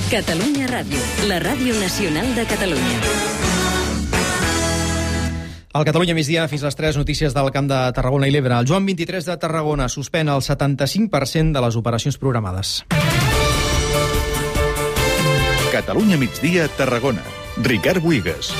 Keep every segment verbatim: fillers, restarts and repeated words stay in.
Catalunya Ràdio, la ràdio nacional de Catalunya. Al Catalunya migdia, fins les tres, notícies del Camp de Tarragona i l'Ebre. El Joan vint-i-tres de Tarragona suspèn el setanta-cinc per cent de les operacions programades. Catalunya migdia, Tarragona. Ricard Buigas.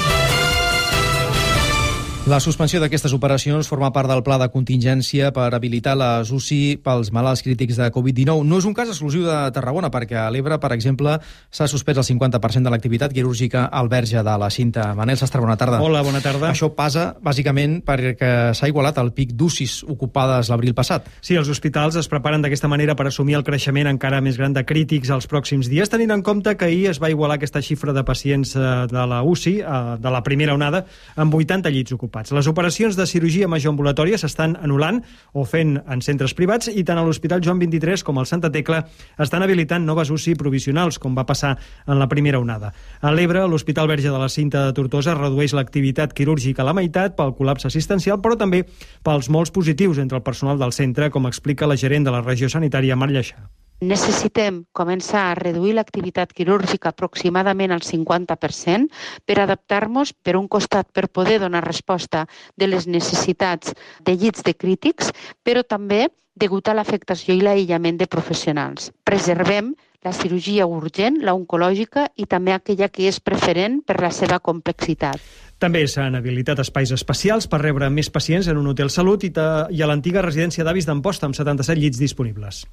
La suspensió d'aquestes operacions forma part del pla de contingència per habilitar les U C I pels malalts crítics de covid dinou. No és un cas exclusiu de Tarragona, perquè a l'Ebre, per exemple, s'ha suspès el cinquanta per cent de l'activitat quirúrgica al Verge de la Cinta. Manel Sastre, bona tarda. Hola, bona tarda. Això passa, bàsicament, perquè s'ha igualat el pic d'U C Is ocupades l'abril passat. Sí, els hospitals es preparen d'aquesta manera per assumir el creixement encara més gran de crítics els pròxims dies, tenint en compte que ahir es va igualar aquesta xifra de pacients de la U C I, de la primera onada, amb vuitanta llits ocupats. Les operacions de cirurgia major ambulatòria s'estan anul·lant o fent en centres privats i tant a l'Hospital Joan vint-i-tres com al Santa Tecla estan habilitant noves U C I provisionals, com va passar en la primera onada. A l'Ebre, l'Hospital Verge de la Cinta de Tortosa redueix l'activitat quirúrgica a la meitat pel col·lapse assistencial, però també pels molts positius entre el personal del centre, com explica la gerent de la regió sanitària, Mar Lleixà. Necessitem començar a reduir l'activitat quirúrgica aproximadament al cinquanta per cent per adaptar-nos, per un costat, per poder donar resposta de les necessitats de llits de crítics, però també degut a l'afectació i l'aïllament de professionals. Preservem la cirurgia urgent, la oncològica i també aquella que és preferent per la seva complexitat. També s'han habilitat espais especials per rebre més pacients en un hotel salut i, i a l'antiga residència d'avis d'Amposta, amb setanta-set llits disponibles.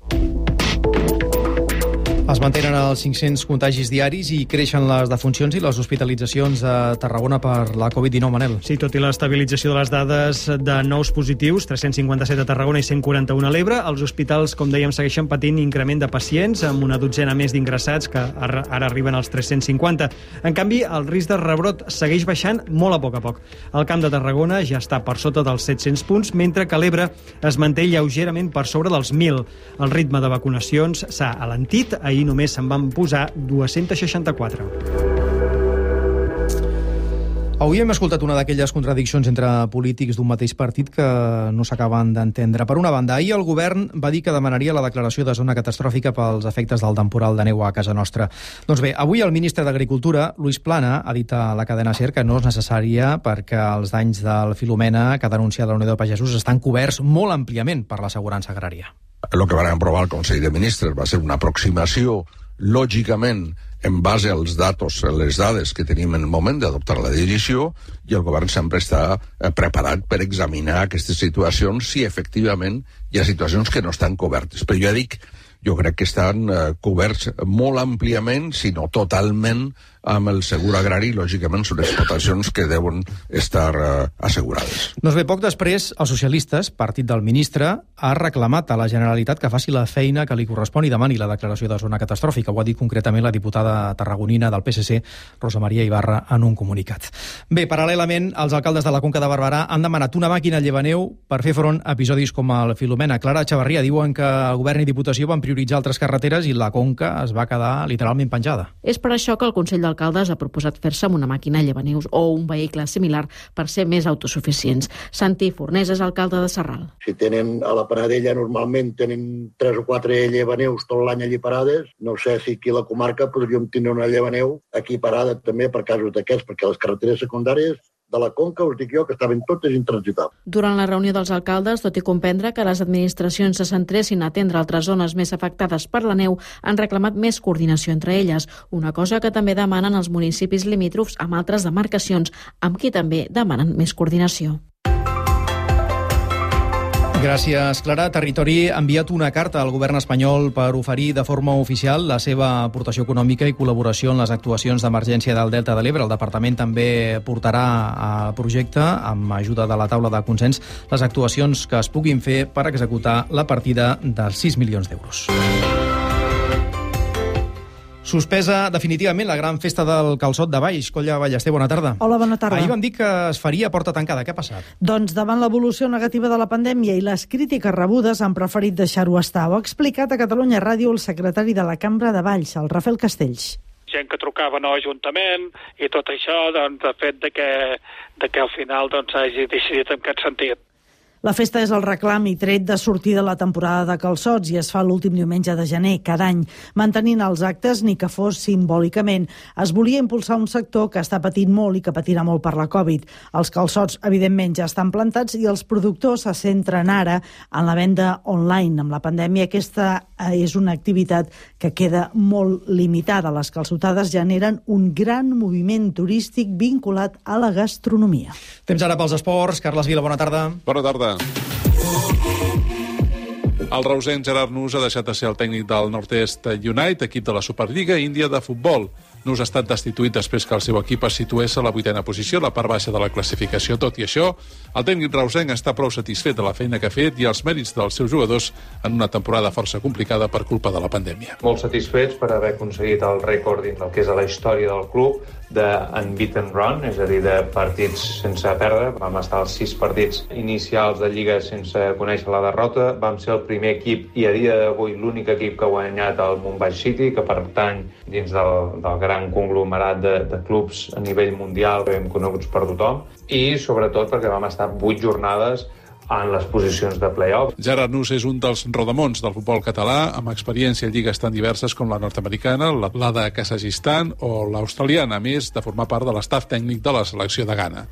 Es mantenen els cinc-cents contagis diaris i creixen les defuncions i les hospitalitzacions a Tarragona per la covid dinou, Manel. Sí, tot i l'estabilització de les dades de nous positius, tres-cents cinquanta-set a Tarragona i cent quaranta-un a l'Ebre, els hospitals, com dèiem, segueixen patint increment de pacients, amb una dotzena més d'ingressats, que ara arriben als tres-cents cinquanta. En canvi, el risc de rebrot segueix baixant molt a poc a poc. El Camp de Tarragona ja està per sota dels set-cents punts, mentre que l'Ebre es manté lleugerament per sobre dels mil. El ritme de vacunacions s'ha alentit. Ahir només se'n van posar dos-cents seixanta-quatre. Avui hem escoltat una d'aquelles contradiccions entre polítics d'un mateix partit que no s'acaben d'entendre. Per una banda, ahir el govern va dir que demanaria la declaració de zona catastròfica pels efectes del temporal de neu a casa nostra. Doncs bé, avui el ministre d'Agricultura, Luis Plana, ha dit a la cadena SER que no és necessària perquè els danys del Filomena que ha denunciat la Unió de Pagesos estan coberts molt àmpliament per l'assegurança agrària. El que van aprovar el Consell de Ministres va ser una aproximació, lògicament, en base als datos, les dades que tenim en el moment d'adoptar la decisió, i el govern sempre està preparat per examinar aquestes situacions si efectivament hi ha situacions que no estan cobertes. Però jo dic, jo crec que estan coberts molt àmpliament, si no totalment, amb el segur agrari, lògicament són explotacions que deuen estar uh, assegurades. Doncs bé, poc després, els socialistes, partit del ministre, ha reclamat a la Generalitat que faci la feina que li correspon i demani la declaració de zona catastròfica. Ho ha dit concretament la diputada tarragonina del P S C, Rosa Maria Ibarra, en un comunicat. Bé, paral·lelament, els alcaldes de la Conca de Barberà han demanat una màquina llevaneu per fer front a episodis com el Filomena. Clara Echavarria, diuen que el govern i Diputació van prioritzar altres carreteres i la Conca es va quedar literalment penjada. És per això que el Consell de Alcaldes ha proposat fer-se amb una màquina llevaneus o un vehicle similar per ser més autosuficients. Santi Fornés és alcalde de Sarral. Si tenen a la Panadella normalment tenen tres o quatre llevaneus tot l'any allí parades, no sé si aquí a la comarca podríem tenir una llevaneu aquí parada també per casos d'aquests, perquè les carreteres secundàries de la Conca, us dic jo, que estaven totes intransitables. Durant la reunió dels alcaldes, tot i comprendre que les administracions se centressin a atendre altres zones més afectades per la neu, han reclamat més coordinació entre elles, una cosa que també demanen els municipis limítrofs amb altres demarcacions, amb qui també demanen més coordinació. Gràcies, Clara. Territori ha enviat una carta al govern espanyol per oferir de forma oficial la seva aportació econòmica i col·laboració en les actuacions d'emergència del Delta de l'Ebre. El departament també portarà a projecte, amb ajuda de la taula de consens, les actuacions que es puguin fer per executar la partida dels sis milions d'euros. Suspesa definitivament la gran festa del calçot de Valls. Colla Ballester, bona tarda. Hola, bona tarda. Ahir vam dir que es faria a porta tancada. Què ha passat? Doncs davant l'evolució negativa de la pandèmia i les crítiques rebudes han preferit deixar-ho estar. Ho ha explicat a Catalunya Ràdio el secretari de la Cambra de Valls, el Rafael Castells. Gent que trucava no ajuntament i tot això, doncs, ha fet de que, de que al final doncs, hagi decidit en aquest sentit. La festa és el reclam i tret de sortir de la temporada de calçots i es fa l'últim diumenge de gener cada any. Mantenint els actes, ni que fos simbòlicament, es volia impulsar un sector que està patint molt i que patirà molt per la Covid. Els calçots, evidentment, ja estan plantats i els productors se centren ara en la venda online. Amb la pandèmia, aquesta és una activitat que queda molt limitada. Les calçotades generen un gran moviment turístic vinculat a la gastronomia. Temps ara pels esports. Carles Vila, bona tarda. Bona tarda. El reusenc Gerard Nus ha deixat de ser el tècnic del Northeast United, equip de la Superliga Índia de futbol. Nus ha estat destituït després que el seu equip es situés a la vuitena posició, a la part baixa de la classificació. Tot i això, el tècnic reusenc està prou satisfet de la feina que ha fet i els mèrits dels seus jugadors en una temporada força complicada per culpa de la pandèmia. Molt satisfets per haver aconseguit el rècord dins del que és a la història del club de unbeaten run, és a dir, de partits sense perdre. Vam estar als sis partits inicials de Lliga sense conèixer la derrota. Vam ser el primer equip i a dia d'avui l'únic equip que ha guanyat el Mumbai City, que pertany dins del, del gran conglomerat de, de clubs a nivell mundial, ben coneguts per tothom, i sobretot perquè vam estar vuit jornades en les posicions de play-off. Gerard Nus és un dels rodamons del futbol català, amb experiència en lligues tan diverses com la nord-americana, la, la de Kazakhstan o l'australiana, a més de formar part de l'estaf tècnic de la selecció de Ghana.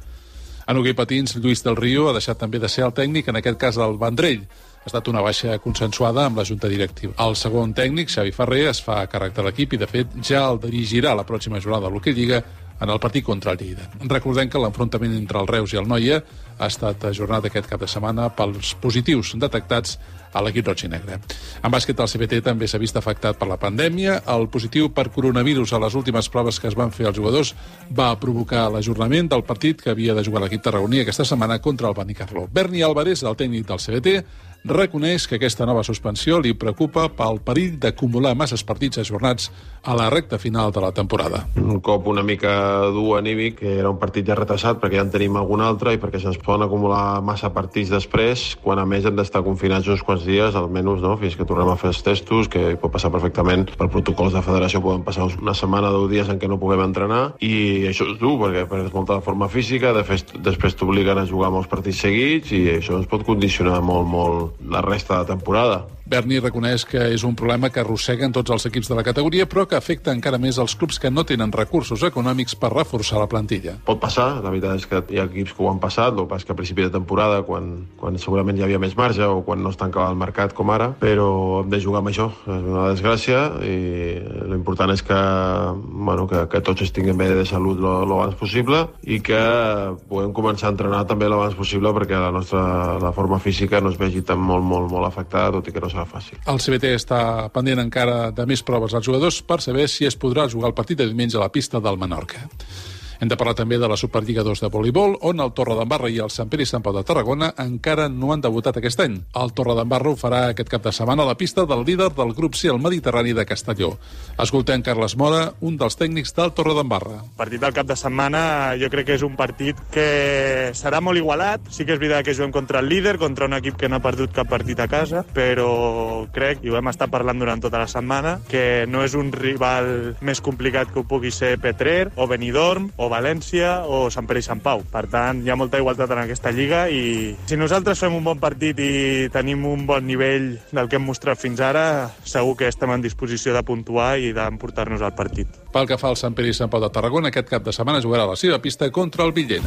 En hoquei patins, Lluís del Río ha deixat també de ser el tècnic, en aquest cas el Vendrell. Ha estat una baixa consensuada amb la Junta Directiva. El segon tècnic, Xavi Ferrer, es fa càrrec de l'equip i, de fet, ja el dirigirà la pròxima jornada de l'Hoquei Lliga en el partit contra el Lleida. Recordem que l'enfrontament entre el Reus i el Noia ha estat ajornat aquest cap de setmana pels positius detectats a l'equip roig i negre. En bàsquet, el C B T també s'ha vist afectat per la pandèmia. El positiu per coronavirus a les últimes proves que es van fer als jugadors va provocar l'ajornament del partit que havia de jugar l'equip tarragoní aquesta setmana contra el Benicarló. Berni Álvarez, el tècnic del C B T, reconeix que aquesta nova suspensió li preocupa pel perill d'acumular masses partits ajornats a la recta final de la temporada. Un cop una mica dur anímic, que era un partit ja retrasat perquè ja en tenim algun altre i perquè se'ns poden acumular massa partits després, quan a més hem d'estar confinats uns quants dies, almenys, no? Fins que tornem a fer els testos, que pot passar perfectament. Per protocols de federació poden passar una setmana o deu dies en què no puguem entrenar, i això és dur perquè perds molta forma física, de fet, després t'obliguen a jugar molts partits seguits i això ens pot condicionar molt, molt la resta de temporada. Berni reconeix que és un problema que arrosseguen tots els equips de la categoria, però que afecta encara més els clubs que no tenen recursos econòmics per reforçar la plantilla. Pot passar, la veritat és que hi ha equips que ho han passat, el pas que a principi de temporada, quan, quan segurament hi havia més marge o quan no es tancava el mercat com ara, però hem de jugar amb això. És una desgràcia i l'important és que, bueno, que, que tots estiguem bé de salut l'abans possible i que puguem començar a entrenar també l'abans possible perquè la nostra la forma física no es vegi tan molt, molt, molt afectada, tot i que no serà fàcil. El C B T està pendent encara de més proves als jugadors per saber si es podrà jugar el partit de diumenge a la pista del Menorca. Hem de parlar també de la Superliga dos de voleibol, on el Torredembarra i el Sant Pere i Sant Pau de Tarragona encara no han debutat aquest any. El Torredembarra ho farà aquest cap de setmana a la pista del líder del grup C, el Mediterrani de Castelló. Escoltem Carles Mora, un dels tècnics del Torredembarra. El partit del cap de setmana jo crec que és un partit que serà molt igualat. Sí que és veritat que juguem contra el líder, contra un equip que no ha perdut cap partit a casa, però crec, i ho hem estat parlant durant tota la setmana, que no és un rival més complicat que ho pugui ser Petrer, o Benidorm, o València o Sant Pere i Sant Pau. Per tant, hi ha molta igualtat en aquesta lliga i si nosaltres fem un bon partit i tenim un bon nivell del que hem mostrat fins ara, segur que estem en disposició de puntuar i d'emportar-nos al partit. Pel que fa al Sant Pere i Sant Pau de Tarragona, aquest cap de setmana jugarà a la seva pista contra el Villena.